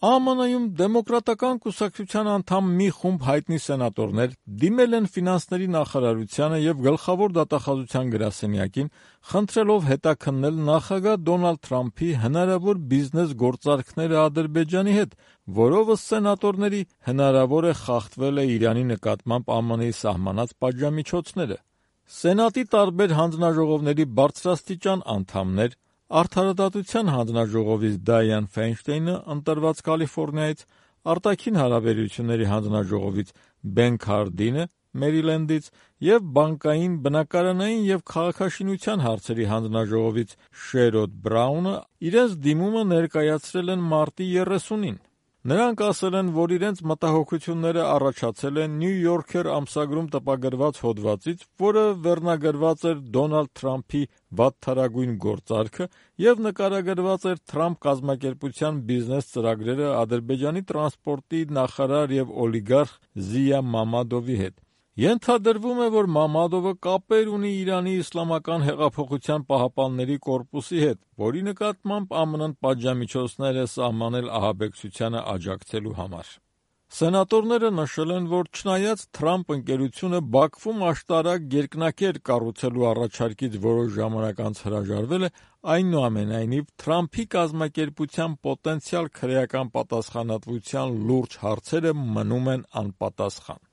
ԱՄՆ-ում դեմոկրատական կուսակցության անդամ մի խումբ հայտնի սենատորներ դիմել են ֆինանսների նախարարությանը և գլխավոր դատախազության գրասենյակին, խնդրելով հետաքննել նախագահ Դոնալդ Թրամփի հնարավոր բիզնես գործարքները Ադրբեջանի հետ, որով ըստ սենատորների հնարավոր է խախտվել է Իրանի նկատմամբ ԱՄՆ-ի սահմանած պատժամիջոցները։ Սենատի տարբեր հանձնաժողովների բարձրաստիճան անդամներ, Արդարադատության հանձնաժողովից Դայան Ֆայնշտեյնը ընտրված Կալիֆոռնիայից, Արտաքին հարաբերությունների հանձնաժողովից Բեն Քարդինը Մերիլենդից և Բանկային, բնակարանային և քաղաքաշինության հարցերի հանձնաժողովից Շերոդ Բրաունը իրենց դիմումը ներկայացրել են մարտի 30-ին։ Նրանք ասել են, որ իրենց մտահոգությունները առաջացել են New Yorker ամսագրում տպագրված հոդվածից, որը վերնագրված էր Դոնալդ Թրամփի վատթարագույն գործարքը և նկարագրված էր Թրամփ կազմակերպության բիզնես ծրագրերը Ադրբեջանի տրանսպորտի նախարար և օլիգարխ Զիա Մամադովի հետ։ Ենթադրվում է, որ Մամադովը կապեր ունի Իրանի իսլամական հեղափոխության պահապանների կորպուսի հետ, որի նկատմամբ ԱՄՆ-ն պատժամիջոցներ է սահմանել ահաբեկչությանը աջակցելու համար։ Սենատորները նշել են, որ չնայած Թրամփ ընկերությունը Բաքվում աշտարակ երկնաքեր կառուցելու առաջարկից որոշ ժամանակ անց հրաժարվել է, այնուամենայնիվ Թրամփի կազմակերպության պոտենցիալ քրեական պատասխանատվության լուրջ հարցերը մնում են անպատասխան։